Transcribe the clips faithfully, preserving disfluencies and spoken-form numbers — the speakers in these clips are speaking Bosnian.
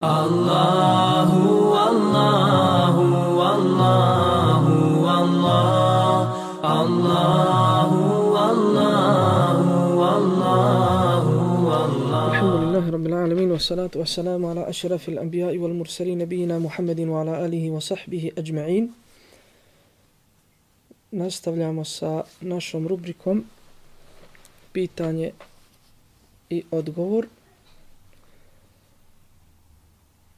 Allahu, Allahu, Allahu, Allah, Allahu, Allahu, Allahu, Allah. Alhamdulillahi Rabbil Alamin, wa salatu wa salamu ala ashrafil anbiya'i wal mursalin nabiyina Muhammedin wa ala alihi wa sahbihi ajma'in. Nastavljamo sa našom rubrikom pitanje i odgovor.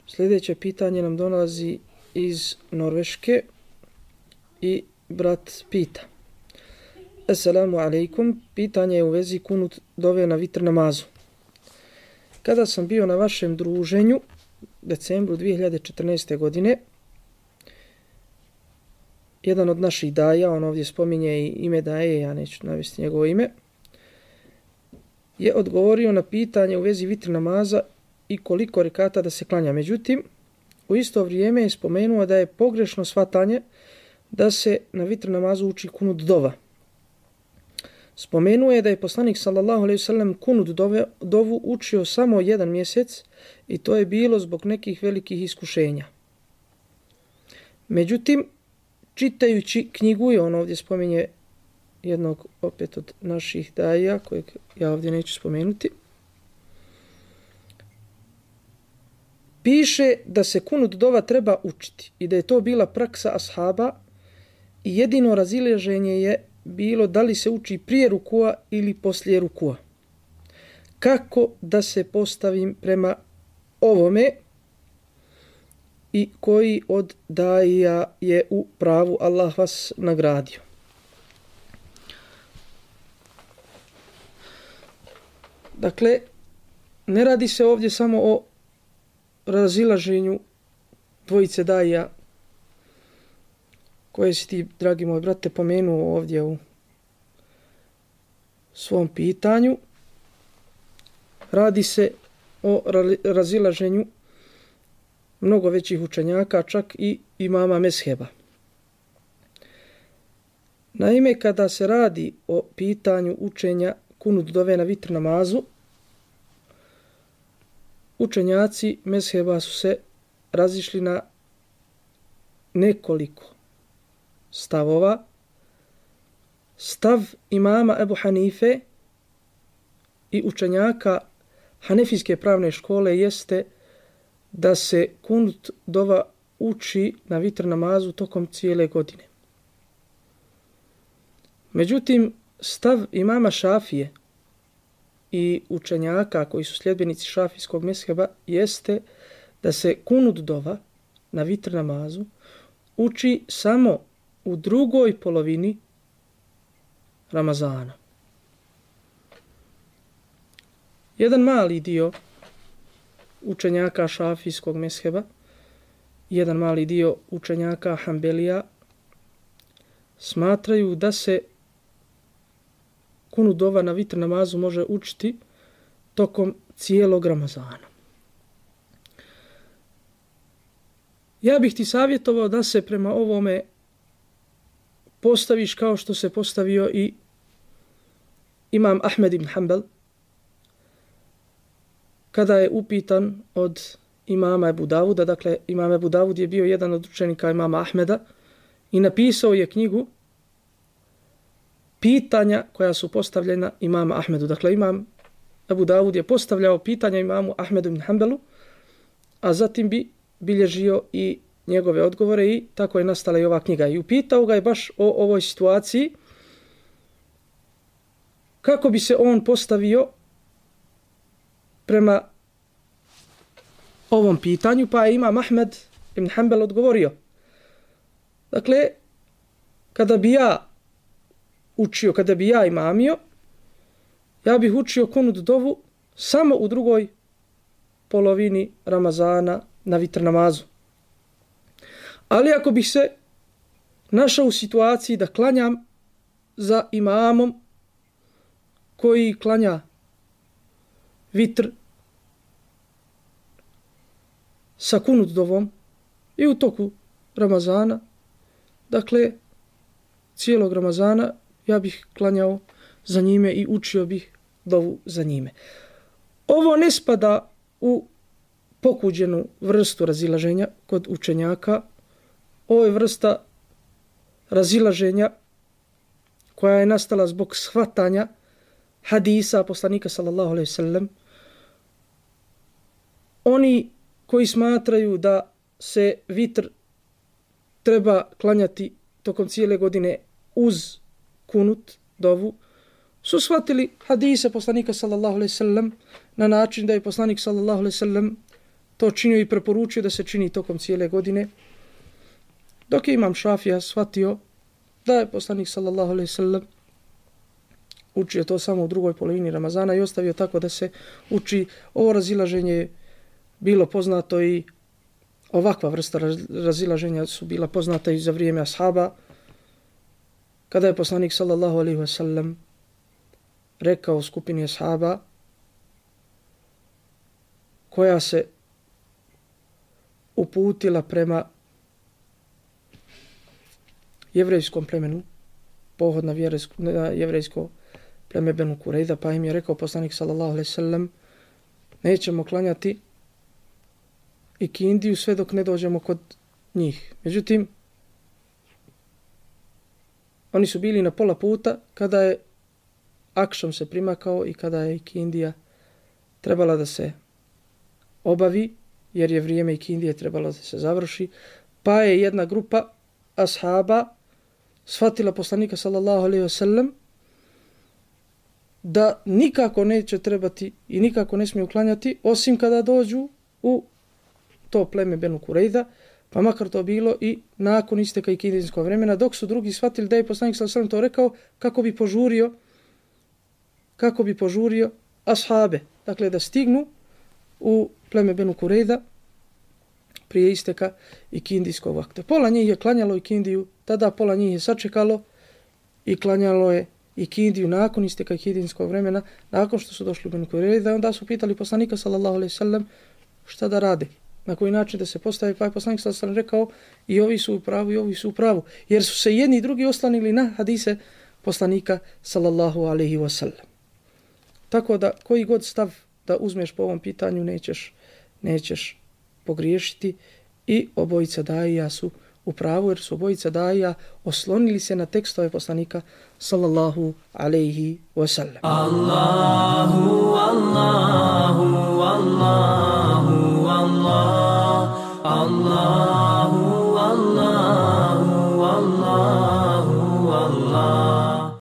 Sljedeće pitanje nam dolazi iz Norveške i brat pita. Assalamu alaikum, pitanje je u vezi kunut dove na vitr namazu. Kada sam bio na vašem druženju decembru dvije hiljade četrnaeste. godine, jedan od naših daja, on ovdje spominje i ime daje, ja neću navesti njegovo ime, je odgovorio na pitanje u vezi vitr namaza i koliko rekata da se klanja. Međutim, u isto vrijeme je spomenuo da je pogrešno shvatanje da se na vitr namazu uči kunut dova. Spomenuo je da je poslanik sallallahu alejhi ve sellem kunut dove, dovu učio samo jedan mjesec i to je bilo zbog nekih velikih iskušenja. Međutim, čitajući knjigu, i on ovdje spominje jednog opet od naših daja, kojeg ja ovdje neću spomenuti, piše da se kunut dova treba učiti i da je to bila praksa ashaba i jedino razilaženje je bilo da li se uči prije rukua ili poslije rukua. Kako da se postavim prema ovome i koji od daija je u pravu, Allah vas nagradio. Dakle, ne radi se ovdje samo o razilaženju dvojice daija koje si ti, dragi moj brate, pomenuo ovdje u svom pitanju. Radi se o razilaženju mnogo većih učenjaka, čak i imama mezheba. Naime, kada se radi o pitanju učenja kunut dove na vitr namazu, učenjaci mezheba su se razišli na nekoliko stavova. Stav imama Ebu Hanife i učenjaka Hanefijske pravne škole jeste da se kunut dova uči na vitr namazu tokom cijele godine. Međutim, stav imama Šafije i učenjaka koji su sljedbenici šafijskog mezheba jeste da se kunut dova na vitr namazu uči samo u drugoj polovini Ramazana. Jedan mali dio učenjaka šafijskog mezheba, jedan mali dio učenjaka Hanbelija smatraju da se kunut dova na vitr namazu može učiti tokom cijelog Ramazana. Ja bih ti savjetovao da se prema ovome postaviš kao što se postavio i imam Ahmed ibn Hanbal kada je upitan od imama Ebu Davuda. Dakle, imam Ebu Davud je bio jedan od učenika imama Ahmeda i napisao je knjigu pitanja koja su postavljena imama Ahmedu. Dakle, imam Ebu Davud je postavljao pitanja imamu Ahmedu ibn Hanbalu, a zatim bi bilježio i njegove odgovore i tako je nastala i ova knjiga. I upitao ga je baš o ovoj situaciji, kako bi se on postavio prema ovom pitanju, pa je imam Ahmed ibn Hanbal odgovorio. Dakle, kada bi ja učio, kada bi ja imamio, ja bih učio kunut dovu samo u drugoj polovini Ramazana na vitr namazu. Ali ako bih se našao u situaciji da klanjam za imamom koji klanja vitr sa kunut dovom i u toku Ramazana, dakle, cijelog Ramazana, ja bih klanjao za njime i učio bih dovu za njime. Ovo ne spada u pokuđenu vrstu razilaženja kod učenjaka. Ovo je vrsta razilaženja koja je nastala zbog shvatanja hadisa poslanika sallallahu alejhi ve sellem. Oni koji smatraju da se vitr treba klanjati tokom cijele godine uz kunut, dovu, su shvatili hadise poslanika sallallahu alejhi ve sellem na način da je poslanik sallallahu alejhi ve sellem to činio i preporučio da se čini tokom cijele godine. Dok je imam Šafija shvatio da je poslanik sallallahu alejhi ve sellem učio to samo u drugoj polovini Ramazana i ostavio tako da se uči. Ovo razilaženje bilo poznato i ovakva vrsta razilaženja su bila poznata i za vrijeme ashaba, kada je poslanik sallallahu alejhi ve sellem rekao skupini ashaba koja se uputila prema jevrejskom plemenu, pohod na, na jevrejsko pleme Benu Kurejda, pa im je rekao poslanik sallallahu alejhi ve sellem, nećemo klanjati ikindiju sve dok ne dođemo kod njih. Međutim, oni su bili na pola puta kada je akšam se primakao i kada je ikindija trebala da se obavi, jer je vrijeme ikindije trebalo da se završi, pa je jedna grupa ashaba shvatila poslanika sallallahu alejhi ve sellem da nikako neće trebati i nikako ne smiju uklanjati osim kada dođu u to pleme Benu Kurejda, pa makar to bilo i nakon isteka ikindijskog vremena, dok su drugi shvatili da je poslanik sallallahu alejhi ve sellem to rekao kako bi požurio kako bi požurio ashabe, dakle da stignu u pleme Benu Kurejda prije isteka ikindijskog vakta. Pola njih je klanjalo ikindiju, tada pola njih je sačekalo i klanjalo je ikindiju nakon isteka ikindijskog vremena, nakon što su došli u Benu Kurejda, onda su pitali poslanika sallallahu alejhi ve sellem šta da rade, na koji način da se postavi, pa je poslanik sallallahu alejhi ve sellem rekao i ovi su u pravu i ovi su u pravu, jer su se jedni i drugi oslanili na hadise poslanika sallallahu alejhi ve sellem. Tako da koji god stav da uzmeš po ovom pitanju nećeš, nećeš pogriješiti i obojica daija su u pravu, jer su obojica daija oslonili se na tekstove poslanika sallallahu alejhi ve sellem. Allahu, Allahu, Allahu, Allah, Allah.